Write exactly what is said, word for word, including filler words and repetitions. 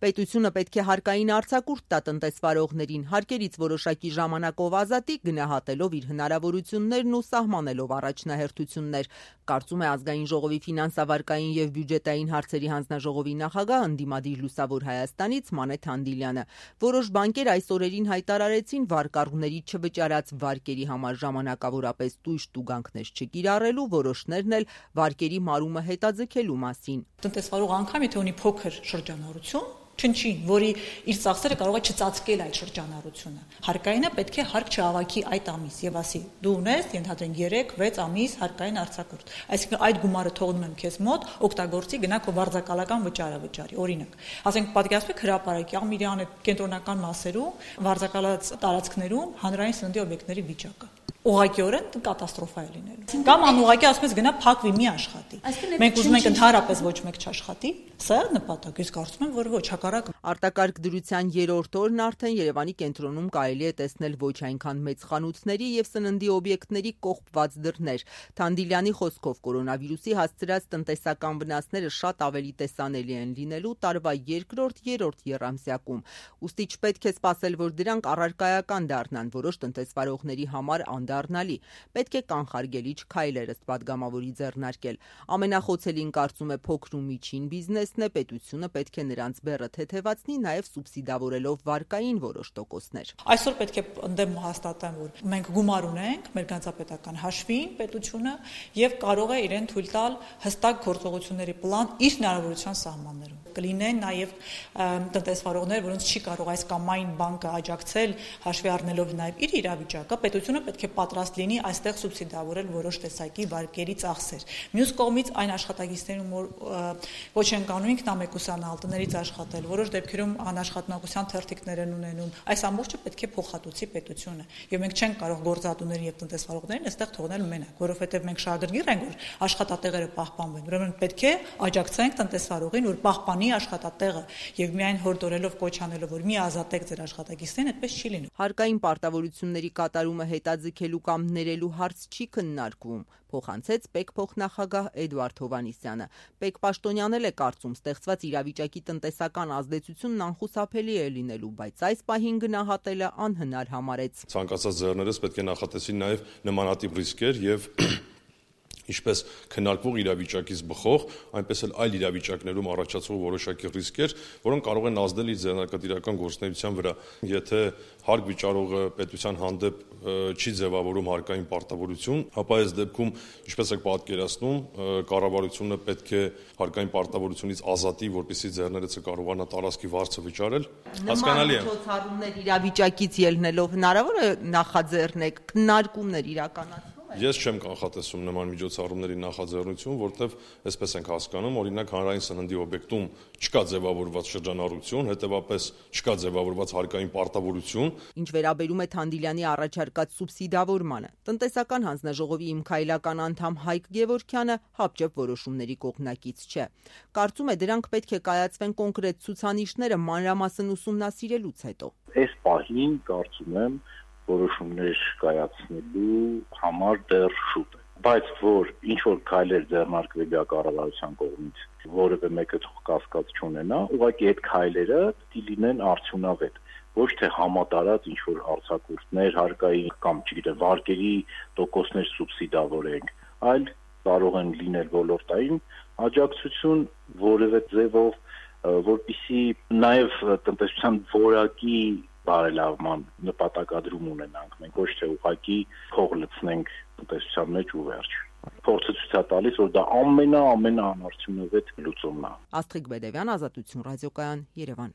Պետությունը պետք է հարկային արձակուրդ տա տնտեսվարողներին, հարկերից որոշակի ժամանակով ազատի, գնահատելով իր հնարավորություններն ու սահմանելով առաջնահերթություններ, կարծում է Ազգային ժողովի ֆինանսավարկային և բյուջետային հարցերի հանձնաժողովի նախագահ, ընդդիմադիր Լուսավոր Հայաստանից Մանե Թանդիլյանը։ Որոշ բանկեր այս օրերին հայտարարեցին վարկառուների չվճարած վարկերի համար ժամանակավորապես տույժ տուգանքներ չկիրառելու, որոշներն էլ վարկերի մարումը հետաձգելու մասին։ Տնտեսվարող անգամ եթե ունի փոքր շրջանառություն, չնչին, որի իր ծախսերը կարող է չծածկել այդ շրջանառությունը։ Հարկայինը պետք է հարկ չհավաքի այդ ամիս եւ ասի՝ դու ունես, ենթադրենք երեք վեց ամիս հարկային արձակուրդ։ Այսինքն այդ գումարը թողնում եմ քեզ մոտ, օգտագործի, գնա քո վարձակալական վճարը վճարի։ Օրինակ, ասենք պատկերացրեք հրապարակի Ամիրյանի կենտրոնական մասերում, վարձակալած տարածքներում հանրային սննդի օբյեկտների վիճակը։ Ուղղակիորեն կատաստրոֆա է լինելու։ Կամ անուղղակի ասում ես գնա փակվի, մի աշխատի։ Մենք ուզում ենք ընդհանրապես ոչ մեկ չաշխատի, սա է նպատակ, ես կարծում եմ, որ ոչ, հակառակը։ Արտակարգ դրության երրորդ օրն արդեն Երևանի կենտրոնում կարելի է տեսնել ոչ այնքան մեծ խանութների եւ սննդի օբյեկտների կողպված դռներ։ Թանդիլյանի խոսքով կորոնավիրուսի հասցրած տնտեսական վնասները շատ ավելի տեսանելի են լինելու տարվա երկրորդ-երրորդ եռամսյակում։ Ուստի չպետք է սպասել, որ դրանք առարկայական դառնան, որոշ տնտեսվարողների համար անդառնալի։ Պետք է կանխարգելիչ քայլեր ըստ պատգամավորի ձեռնարկել։ Ամենախոցելին կարծում է փոքր ու միջին բիզնեսն է, պետությունը պետք է նրանց բեռը թեթևացնի, նաև սուբսիդավորելով վարկային որոշ տոկոսներ։ Այսօր պետք է ընդդեմ հաստատեմ, որ մենք գումար ունենք մեր գանձապետական հաշվին պետությունը եւ կարող է իրեն թույլ տալ հստակ գործողությունների պլան իր հնարավորության սահմաններում։ Կլինեն նաև տնտեսվարողներ, որոնց չի կարող այս կամ այն բանկը աջակցել, հաշվի առնելով նաև իր իրավիճակը, պետությունը պետք է պատրաստ լինի այստեղ սուբսիդավորել որոշ տեսակի վարկերի ծախսեր։ Մյուս կողմից այն աշխատակիցներում, որ ոչ են կանում ինքնամեկուսանալ, տներից աշխատել, որոշ դեպքերում անաշխատունակության թերթիկներ են ունենում, այս ամբողջը պետք է փոխհատուցի պետությունը։ Եվ մենք չենք կարող գործադուներին եւ տնտեսվարողներին այստեղ թողնել մենակ, որովհետեւ մենք շահագրգիռ ենք, որ աշխատատեղերը պահպանվեն։ Ուրեմն պետք է աջակցենք տնտեսվարողին, որ պահպանի աշխատատեղը եւ միայն հորդորելով կոչ անելով, որ մի ազատեք ձեր աշխատակիցներին, այդպես չի լինում։ Հարկային պարտավորությունների կատարումը հետաձգելու կամ ներելու հարց չի քննարկվում, փոխանցեց ՊԵԿ փոխնախագահ Էդվարդ Հովհաննիսյանը։ ՊԵԿ պաշտոնյան էլ է կարծում, ստեղծված իրավիճակի տնտեսական ազդեցությունն անխուսափելի է լինելու, բայց այս պահին գնահատելը անհնար համարեց։ Ցանկացած ձեռներս պետք է նախատեսվի նաև նմանատիպ ռիսկեր եւ ինչպես քննարկվող իրավիճակից բխող, այնպես էլ այլ իրավիճակներում առաջացող որոշակի ռիսկեր, որոնք կարող են ազդել իր ձեռնարկատիրական գործունեության վրա։ Եթե հարկ վիճարողը պետության հանդեպ չի ձևավորում հարկային պարտավորություն, ապա այս դեպքում, ինչպես եք պատկերացնում, կառավարությունը պետք է հարկային պարտավորությունից ազատի, որպեսզի ձեռներեցը կարողանա տարածքի վարձը վճարել։ Հասկանալի է։ Նման միջոցառումներ իրավիճակից ելնելով հնարավոր է նախաձեռնեք, քննարկումներ իրականացնել։ Ես չեմ կանխատեսում նման միջոցառումների նախաձեռնություն, որտեղ այսպես ենք հասկանում, օրինակ հանրային սննդի օբյեկտում չկա ձևավորված շրջանառություն, հետևաբար չկա ձևավորված հարկային պարտավորություն։ Ինչ վերաբերում է Թանդիլյանի առաջարկած սուբսիդավորմանը, տնտեսական հանձնաժողովի իմ քայլական անդամ Հայկ Գևորգյանը հապճեպ որոշումների կողմնակից չէ։ Կարծում է դրանք պետք է կայացվեն կոնկրետ ցուցանիշները մանրամասն ուսումնասիրելուց հետո։ Այս պահին կարծում եմ որոշումներ կայացնելու համար դեռ շուտ է, բայց որ ինչ որ քայլեր ձեռնարկվելի է կառավարության կողմից, որևէ մեկը թող կասկած չունենա, ուղղակի այդ քայլերը պիտի լինեն արդյունավետ, ոչ թե համատարած ինչ որ արձակուրդներ, հարկային կամ չգիտեմ վարկերի տոկոսներ սուբսիդավորենք, այլ կարող են լինել ոլորտային աջակցություն որևէ ձևով, որպեսզի նաև տնտեսության որակի բարելավման նպատակադրում ունենանք, մենք ոչ թե ուղղակի փող լցնենք տնտեսության մեջ ու վերջ։ Փորձը ցույց է տալիս, որ դա ամենա ամենաանարդյունավետ լուծումն է։ Աստղիկ Բեդևյան, Ազատություն ռադիոկայան, Երևան։